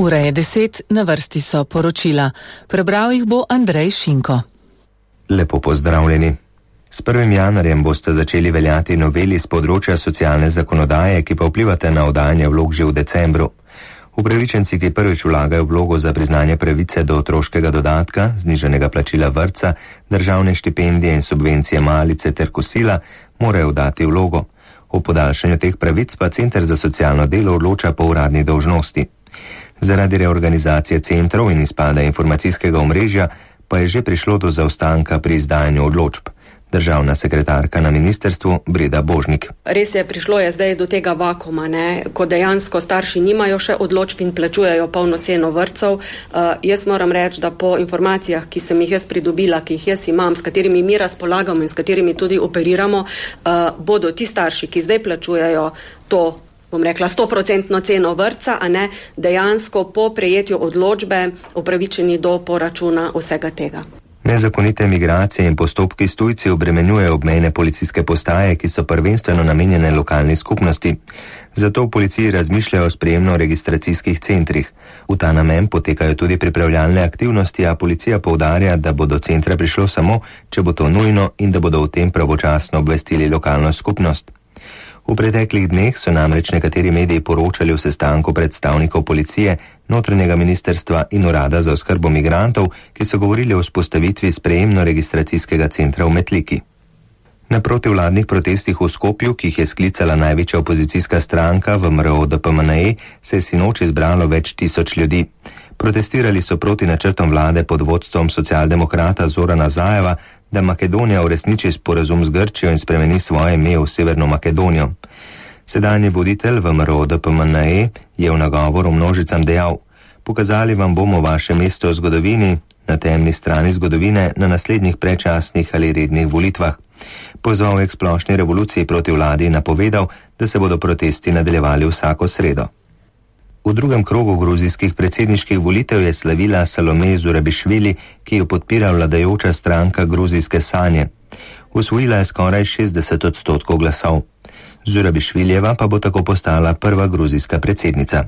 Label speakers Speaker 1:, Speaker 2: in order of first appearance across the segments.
Speaker 1: Ura je 10, na vrsti so poročila. Prebral jih bo Andrej Šinko.
Speaker 2: Lepo pozdravljeni. S 1. januarjem boste začeli veljati noveli z področja socialne zakonodaje, ki pa vplivate na oddajanje vlog že v decembru. Upravičenci, ki prvič vlagajo vlogo za priznanje pravice do otroškega dodatka, znižanega plačila vrtca, državne štipendije in subvencije malice ter kosila, morajo dati vlogo. O podaljšanju teh pravic pa Center za socialno delo odloča po uradni dolžnosti. Zaradi reorganizacije centrov in izpada informacijskega omrežja pa je že prišlo do zaostanka pri izdajanju odločb. Državna sekretarka na ministrstvu Breda Božnik.
Speaker 3: Res je, prišlo je zdaj do tega vakuma, ko dejansko starši nimajo še odločb in plačujejo polno ceno vrtcev. Jaz moram reči, da po informacijah, ki sem jih jaz pridobila, ki jih jaz imam, s katerimi mi razpolagamo in s katerimi tudi operiramo, bodo ti starši, ki zdaj plačujejo to, bom rekla, 100% ceno vrtca, dejansko po prejetju odločbe upravičeni do poračuna vsega tega.
Speaker 2: Nezakonite migracije in postopki s tujci obremenjujejo obmejne policijske postaje, ki so prvenstveno namenjene lokalni skupnosti. Zato v policiji razmišljajo o sprejemno-registracijskih centrih. V ta namen potekajo tudi pripravljalne aktivnosti, a policija poudarja, da bo do centra prišlo samo, če bo to nujno in da bodo o tem pravočasno obvestili lokalno skupnost. V preteklih dneh so namreč nekateri mediji poročali o sestanku predstavnikov policije, notranjega ministrstva in urada za oskrbo migrantov, ki so govorili o vzpostavitvi sprejemno-registracijskega centra v Metliki. Na protivladnih protestih v Skopju, ki jih je sklicala največja opozicijska stranka VMRO DPMNE, se je sinoči zbralo več tisoč ljudi. Protestirali so proti načrtom vlade pod vodstvom socialdemokrata Zorana Zajeva, da Makedonija uresniči sporazum z Grčijo in spremeni svoje ime v Severno Makedonijo. Sedanji voditelj VMRO DPMNE je v nagovoru množicam dejal: "Pokazali vam bomo vaše mesto v zgodovini, na temni strani zgodovine, na naslednjih predčasnih ali rednih volitvah." Pozval je k splošni revoluciji proti vladi in napovedal, da se bodo protesti nadaljevali vsako sredo. V drugem krogu gruzijskih predsedniških volitev je slavila Salome Zurabišvili, ki jo podpira vladajoča stranka Gruzijske sanje. Osvojila je skoraj 60% glasov. Zurabišviljeva pa bo tako postala prva gruzijska predsednica.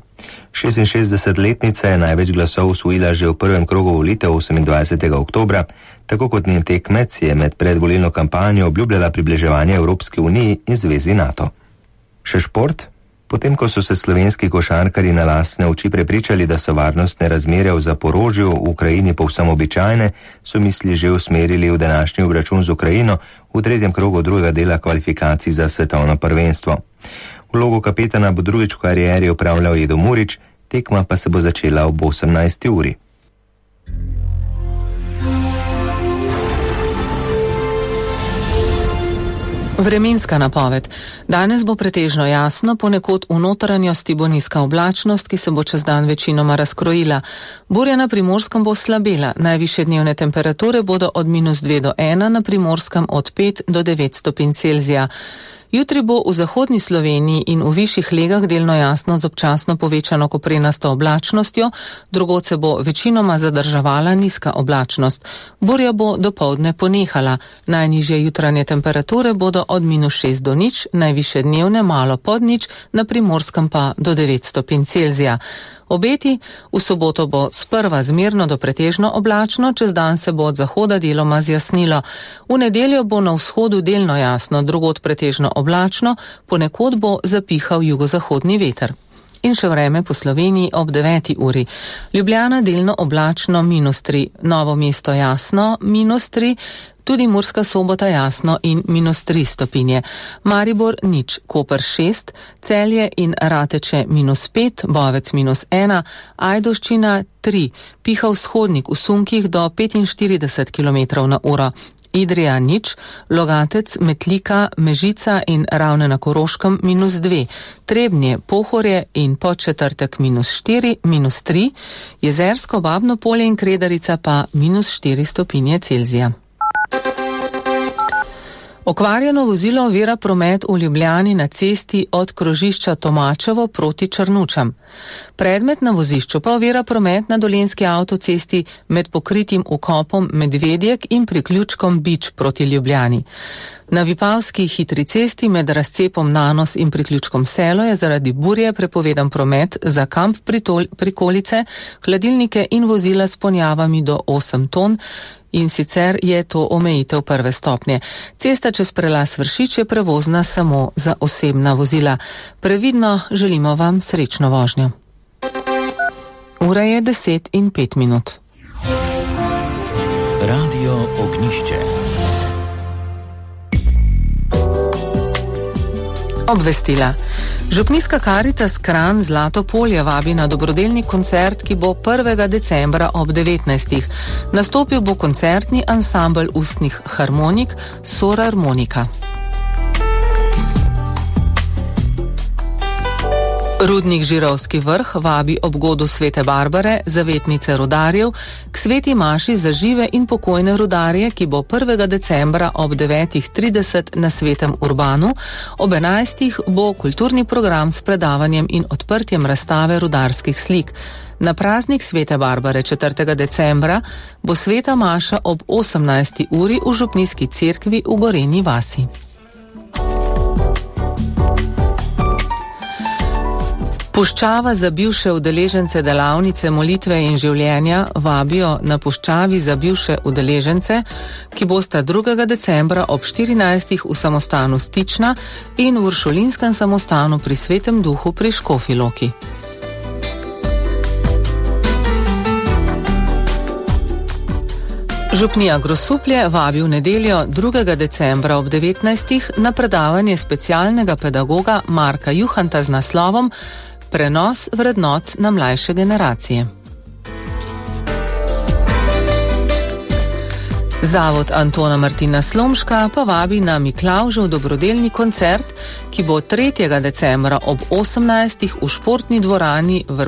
Speaker 2: 66-letnica je največ glasov osvojila že v prvem krogu volitev 28. oktobra, tako kot njen tekmec je med predvolilno kampanjo obljubljala približevanje Evropski uniji in zvezi NATO. Še šport? Potem, ko so se slovenski košarkarji na lastne oči prepričali, da so varnostne razmere v Zaporožju v Ukrajini povsem običajne, so misli že usmerili v današnji obračun z Ukrajino v tretjem krogu drugega dela kvalifikacij za svetovno prvenstvo. Vlogo kapetana bo drugič v karieri opravljal Edo Murić, tekma pa se bo začela ob 18. uri.
Speaker 1: Vremenska napoved. Danes bo pretežno jasno, ponekod v notranjosti bo nizka oblačnost, ki se bo čez dan večinoma razkrojila. Burja na Primorskem bo slabela, najvišje dnevne temperature bodo od -2 do 1, na Primorskem od 5 do 9 stopinj Celzija. Jutri bo v zahodni Sloveniji in v višjih legah delno jasno z občasno povečano koprenasto oblačnostjo, drugod se bo večinoma zadrževala nizka oblačnost. Burja bo dopoldne ponehala. Najnižje jutranje temperature bodo od -6 do 0, najvišje dnevne malo pod 0, na Primorskem pa do 9 stopinj Celzija. Obeti: v soboto bo sprva zmerno do pretežno oblačno, čez dan se bo od zahoda deloma zjasnilo. V nedeljo bo na vzhodu delno jasno, drugod pretežno oblačno, ponekod bo zapihal jugozahodni veter. In še vreme po Sloveniji ob 9. uri. Ljubljana delno oblačno -3, Novo mesto jasno -3, tudi Murska Sobota jasno in -3 stopinje. Maribor 0, Koper 6, Celje in Rateče -5, Bovec -1, Ajdovščina 3, piha vzhodnik v sunkih do 45 km/h. Idrija 0, Logatec, Metlika, Mežica in Ravne na Koroškem -2, Trebnje, Pohorje in Podčetrtek -4, -3, Jezersko, Babno Polje in Kredarica pa -4 stopinje Celzija. Okvarjeno vozilo ovira promet v Ljubljani na cesti od krožišča Tomačevo proti Črnučam. Predmet na vozišču pa ovira promet na dolenjski avtocesti med pokritim vkopom Medvedjek in priključkom Bič proti Ljubljani. Na Vipavski hitri cesti med razcepom Nanos in priključkom Selo je zaradi burje prepovedan promet za kamp prikolice, hladilnike in vozila s ponjavami do 8 ton, in sicer je to omejitev prve stopnje. Cesta čez prelaz Vršič je prevozna samo za osebna vozila. Previdno želimo vam srečno vožnjo. Ura je 10:05.
Speaker 4: Radio Ognjišče.
Speaker 1: Obvestila. Župnijska Karitas Kranj Zlato polje vabi na dobrodelni koncert, ki bo 1. decembra ob 19. Nastopil bo koncertni ansambel ustnih harmonik Sorarmonika. Rudnik Žirovski vrh vabi ob godu Svete Barbare, zavetnice rudarjev, k sveti maši za žive in pokojne rudarje, ki bo 1. decembra ob 9:30 na Svetem Urbanu, ob 11. bo kulturni program s predavanjem in odprtjem razstave rudarskih slik. Na praznik Svete Barbare 4. decembra bo sveta maša ob 18. uri v župnijski cerkvi v Gorenji vasi. Puščava za bivše udeležence delavnice molitve in življenja vabijo na puščavi za bivše udeležence, ki bosta 2. decembra ob 14. v samostanu Stična in v Uršulinskem samostanu pri Svetem Duhu pri Škofji Loki. Župnija Grosuplje vabi v nedeljo 2. decembra ob 19. na predavanje specialnega pedagoga Marka Juhanta z naslovom Prenos vrednot na mlajše generacije. Zavod Antona Martina Slomška pa vabi na Miklavžev dobrodelni koncert, ki bo 3. decembra ob 18. v športni dvorani